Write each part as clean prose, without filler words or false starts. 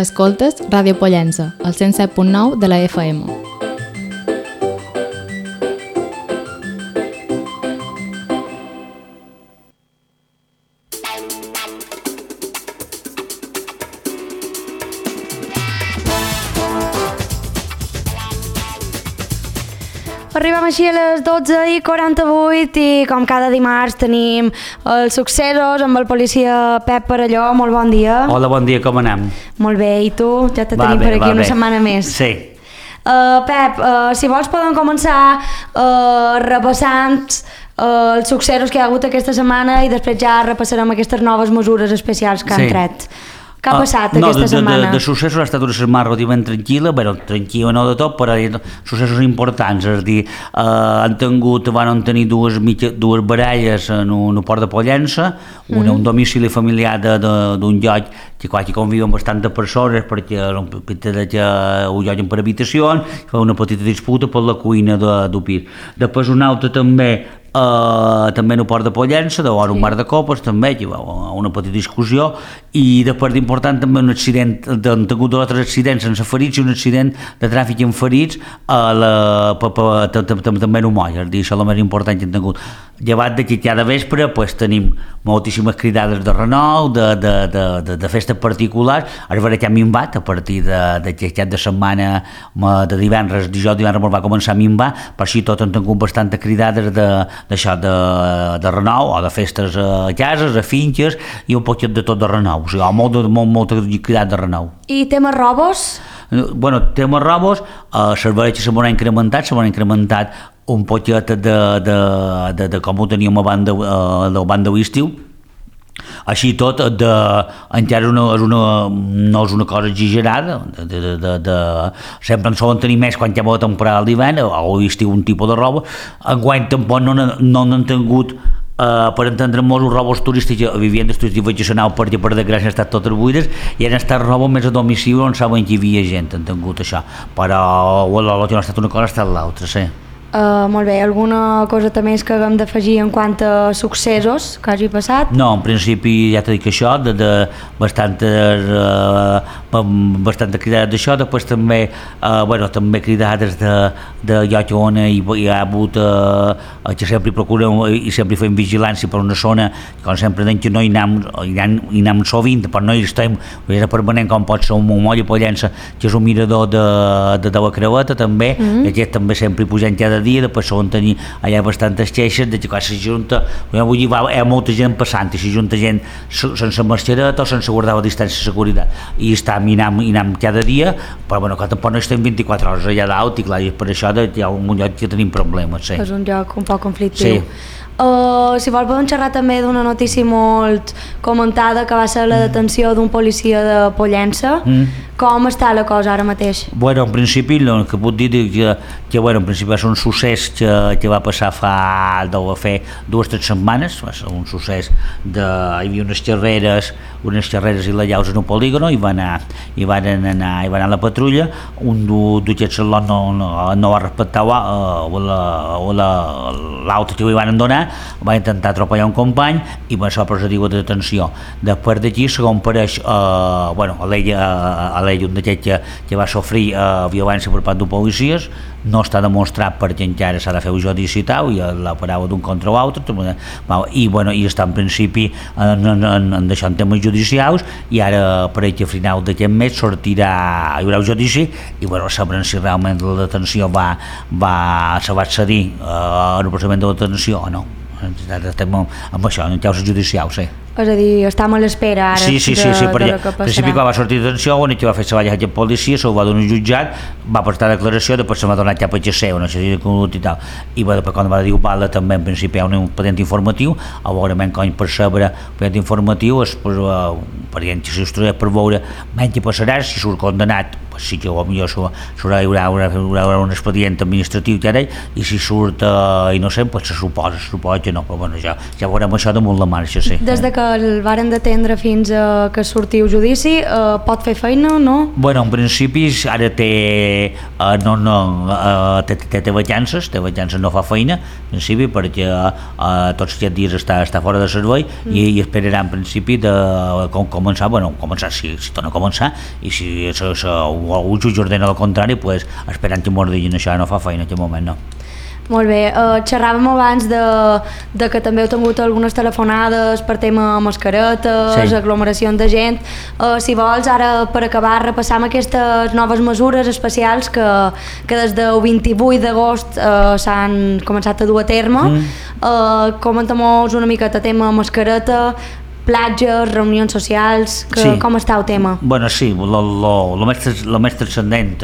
Escoltes Ràdio Pollença, al 107.9 de la FM. Arribem així a les 12:48 i com cada dimarts tenim els successos amb el policia Pep Parelló. Molt bon dia. Hola, bon dia, com anem? Molt bé, i tu? Ja te tenim per aquí una setmana més. Sí. Pep, si vols podem començar repassant els successos que hi ha hagut aquesta setmana i després ja repassarem aquestes noves mesures especials que han tret. Què ha passat aquesta setmana? De successos ha estat una setmana relativament tranquil·la, bueno, tranquil·la no de tot, però successos importants, és a dir, van tenir dues baralles en un port de Pollença, un domicili familiar d'un lloc que quasi conviuen bastantes persones perquè ho lloguen per habitacions, fa una petita disputa per la cuina del pis. Després un altre també en el port de Pollença, un bar de copes també, hi va una petita discussió, i després d'important també un accident, han tingut dos altres accidents sense ferits i un accident de tràfic amb ferits també en un moll, és a dir, això és el més important que han tingut. Llevat de que cada vespre tenim moltíssimes cridades de renou, de festes particulars, es veurà que ha minvat a partir d'aquest cap de setmana de divendres va començar a minvar, per així tot han tingut bastantes cridades d'això, de renou o de festes a cases, a finques i un poquet de tot de renou, o sigui, molta cridat de renou. I temes robos? Bueno, temes robos, les veres se m'han incrementat un poquet de com ho teníem abans del banc de l'estiu. Així tot, encara no és una cosa exagerada, sempre en solen tenir més quan hi ha la temporada d'hivern o l'estiu un tipus de roba. Enguany tampoc no n'han tingut, per entendre molts robos turístics a viviendes turístiques vacacionals perquè per desgràcia han estat totes buides i han estat robos més a domicili on saben que hi havia gent, han tingut això, però el que no ha estat una cosa ha estat l'altra, sí. Molt bé, alguna cosa també que haguem d'afegir en quant a successos que hagi passat? No, en principi ja t'he dit que això, de bastantes cridades d'això, després també cridades de lloc on hi ha hagut que sempre procurem i sempre fem vigilància per una zona, com sempre que no hi anem sovint, però no hi estem permanent com pot ser un moll a Pollença, que és un mirador de la Creueta també, aquest també sempre hi posem cada dia, després solen tenir allà bastantes queixes de que quan s'ajunta, hi ha molta gent passant i s'ajunta gent sense mascareta o sense guardar la distància de seguretat i i anem cada dia, però bueno, que tampoc no estem 24 hores allà dalt i clar, i per això hi ha un lloc que tenim problemes. Sí. És un lloc un poc conflictiu. Sí. Si vol podem xerrar també d'una notícia molt comentada que va ser la detenció d'un policia de Pollença. Com està la cosa ara mateix? Bueno, en principi el que puc dir que en principi va ser un succés que va passar deu fer 2 o 3 setmanes, va ser un succés hi havia unes xerreres il·legals en un polígono i van anar a la patrulla, un d'aquests no va respectar l'altre que li van donar, va intentar atropellar un company i va ser procediu de detenció. Després d'aquí, segons pareix, a l'ell un d'aquests que va sofrir violència per part d'un policies, no està demostrat perquè encara s'ha de fer un judici i tal, i la paraula d'un contra l'altre, i està en principi en temes judicials, i ara per a final d'aquest mes hi haurà un judici i sabrem si realment la detenció se va accedir al procediment de detenció o no. Estem amb això, en causes judicials, sí. És a dir, estem a l'espera ara de la que passarà. En principi, quan va sortir de detenció, quan va fer treballar aquest policia, se'l va donar un jutjat, va prestar declaració, després se m'ha donat cap a XC, una sèrie de conducta i tal. I després, quan va dir Ubala, també en principi hi ha un expedient informatiu, a veure, com per saber expedient informatiu, perquè si es trobés per veure què passarà, si surt condenat, sí que potser hi haurà un expedient administratiu, i si surt innocent, se suposa que no, però ja veurem això damunt la marxa, sí. Des de que que el varen detendre fins que sortiu judici, pot fer feina, no? Bueno, en principi ara té vacances, no fa feina, en principi, perquè tots aquests dies està fora de servei i esperarà en principi de començar, si torna a començar, i si algú jutge ordena el contrari, pues, esperant que mos diguin això, no fa feina en aquest moment, no. Molt bé, xerràvem abans de que també heu tingut algunes telefonades per tema mascaretes, sí. aglomeracions de gent. Si vols, ara per acabar, repassam aquestes noves mesures especials que des del 28 d'agost s'han començat a dur a terme. Comenta-mos una miqueta tema mascareta, platges, reunions socials, com està el tema? Bueno, sí, el més transcendent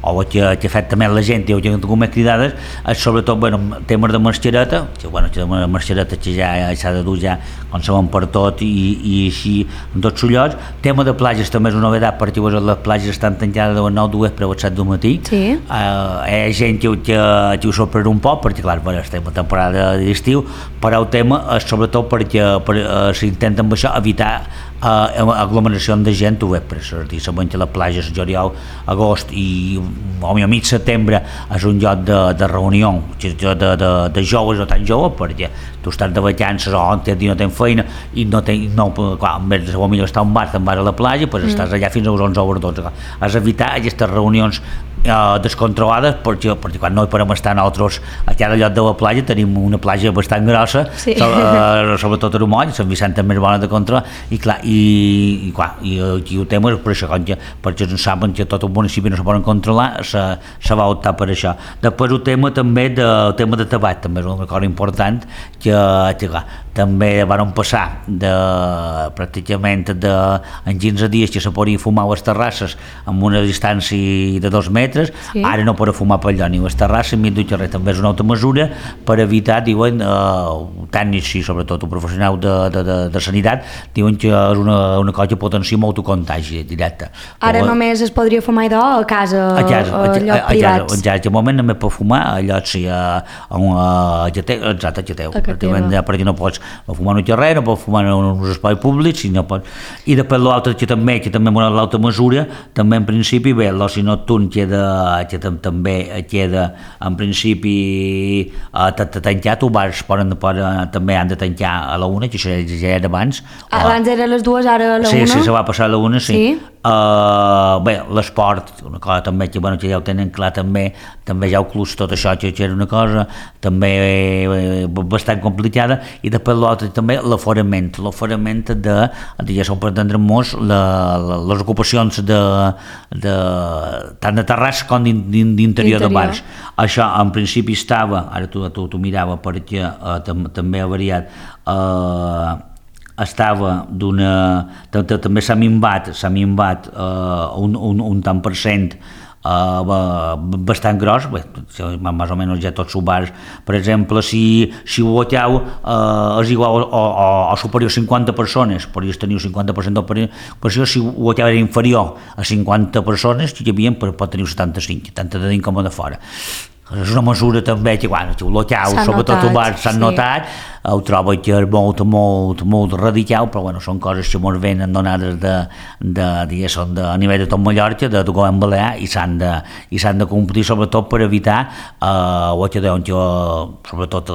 o que afecta més la gent i que tingut més cridades és sobretot temes de mascareta, la mascareta que ja s'ha de dur ja quan sabem per tot i així en tots els llocs. Tema de platges també és una novetat perquè les platges estan tancades de les 9 de vespre a les 7 del matí. Sí. Hi ha gent que ho sorprèn un poc perquè clar, estem a temporada d'estiu, però el tema és sobretot perquè s'intenta amb això evitar aglomeració de gent ho vespre, és a dir, sabem que les platges juliol, agost i mig setembre és un lloc de reunió de joves o tan joves, perquè tu estàs de vacances o no tens feina i en vez de millor estar a un bar, te'n vas a la platja, pues estàs allà fins a les 11 o les 12. Has d'evitar aquestes reunions descontrolades perquè quan no hi podem estar nosaltres a cada lloc de la platja tenim una platja bastant grossa, sobretot a Rumoll, Sant Vicent també és bona de controlar i el tema és per això, perquè no saben que tot el municipi no se poden controlar, se va optar per això. Després el tema també de tabac, també és una cosa important que també van passar pràcticament en 15 dies que se podia fumar a les terrasses amb una distància de 2 metres, ara no poden fumar per allò ni a les terrasses ni al carrer. També és una altra mesura per evitar, diuen, tècnics i sobretot el professional de sanitat, diuen que és una cosa que potencia molt el contagi directe. Ara només es podria fumar a casa, a llocs privats? En moment només pot fumar a llocs a Geteu, perquè no pots fumar en el carrer, no pots fumar en uns espais públics i després l'altre que també l'altra mesura, també en principi l'oci nocturn també queda en principi tancat, els bars també han de tancar a la 1, que això ja era abans. Abans era a les 2, ara a la 1? Sí, se va passar a la 1, sí. L'esport, una cosa també que ja ho tenen clar, també ja ho clus tot això, que era una cosa també bastant complicada, i després l'altre també l'aforament ja són per entendre molts les ocupacions tant de terrassa com d'interior de bars. Això en principi estava, ara tu mirava perquè també ha variat, també s'ha minvat un tant per cent bastant gros, més o menys ja tots els bars, per exemple, si ho voteu és igual o superior a 50 persones, podries tenir un 50% d'operació, si ho voteu era inferior a 50 persones, hi havia, pot tenir 75, tant de dins com de fora. És una mesura també que, si ho voteu, sobretot els bars s'han notat, ho trobo que és molt radical, però són coses que ens venen donades a nivell de tot Mallorca, de govern balear, i s'han de complir, sobretot per evitar sobretot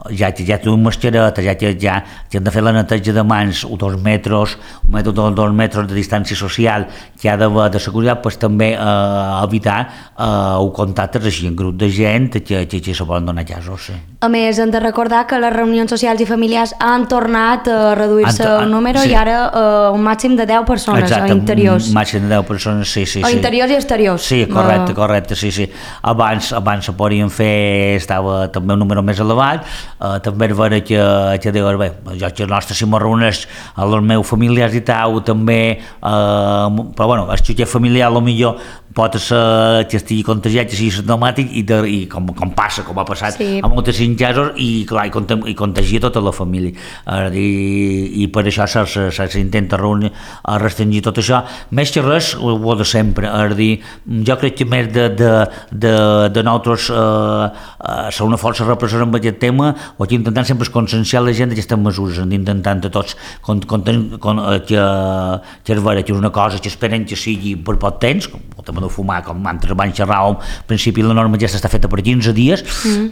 ja tenen mascareta, ja han de fer la neteja de mans, 2 metres de distància social que ha d'haver de seguretat, també evitar els contactes així en grup de gent que se poden donar casos. A més, hem de recordar que les reunions socials i familiars han tornat a reduir-se el número i ara un màxim de 10 persones a interiors. Un màxim de 10 persones, sí. A interiors i exteriors. Sí, correcte, sí. Abans se podien fer, estava també un número més elevat, també és vera que diuen, jo que nostre si m'ho reuneix a els meus familiars i tal, també, però els xutxers familiars potser pot ser que estigui contagiat, que sigui simptomàtic i com passa, com ha passat a moltíssims casos, i clar, i contagia tota la família. I per això s'intenta restringir tot això. Més que res, ho de sempre. Jo crec que més de nosaltres ser una força repressora amb aquest tema, o que intentant sempre és conscienciar la gent d'aquestes mesures, intentant a tots que és vera que és una cosa que esperen que sigui per poc temps, com el tema de fumar, com altres van xerrar, al principi la norma aquesta està feta per 15 dies,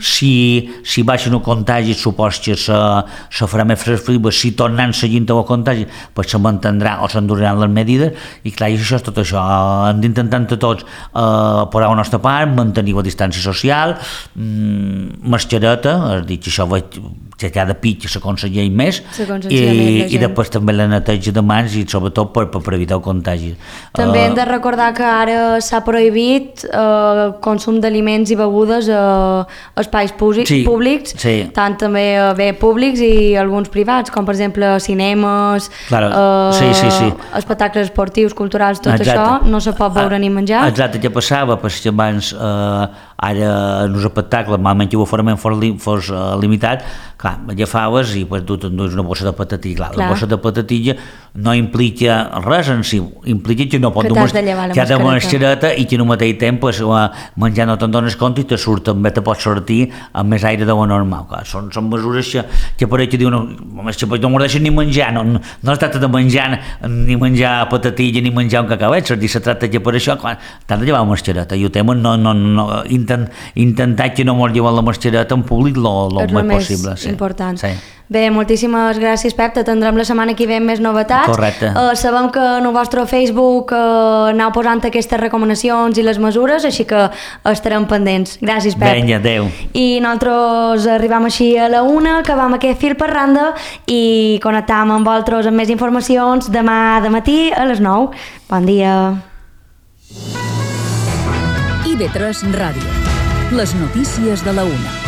si baixen el contagi supos que se farà més flexible, si tornant seguint el contagi pues se mantindrà o s'enduraran les medides, i clar, això és tot això, hem d'intentar tots posar la nostra part, mantenir la distància social, mascareta, és a dir, que això que cada pitja s'aconsella més, i després també la neteja de mans i sobretot per evitar el contagi. També hem de recordar que ara s'ha prohibit consum d'aliments i begudes a espais públics, tant també públics i alguns privats, com per exemple cinemes, espectacles esportius, culturals, tot això no se pot veure ni menjar. Exacte, què passava? Perquè abans ara en els espectacles, malament que l'aforament fos limitat, clar, agafaves i tu t'endues una bossa de patatilla. La bossa de patatilla no implica res en si, implica que no pot dur la mascareta i que en un mateix temps menjar no te'n dones compte i te surt també, te pots sortir amb més aire de lo normal. Són mesures que pareix que diuen no m'ho deixen ni menjar, no es tracta de menjar ni menjar patatilla ni menjar un cacauet, se tracta que per això t'has de llevar la mascareta i el tema intentar que no mos llevar la mascareta en públic el més possible. Important. Bé, moltíssimes gràcies, Pep, t'atendrem la setmana que ve amb més novetats. Correcte. Sabem que en el vostre Facebook aneu posant aquestes recomanacions i les mesures, així que estarem pendents. Gràcies, Pep. Vinga, adeu. I nosaltres arribam així a la 1, acabam aquest fil per randa i connectam amb vosaltres amb més informacions demà de matí a les 9. Bon dia. IB3 Ràdio. Les notícies de la 1.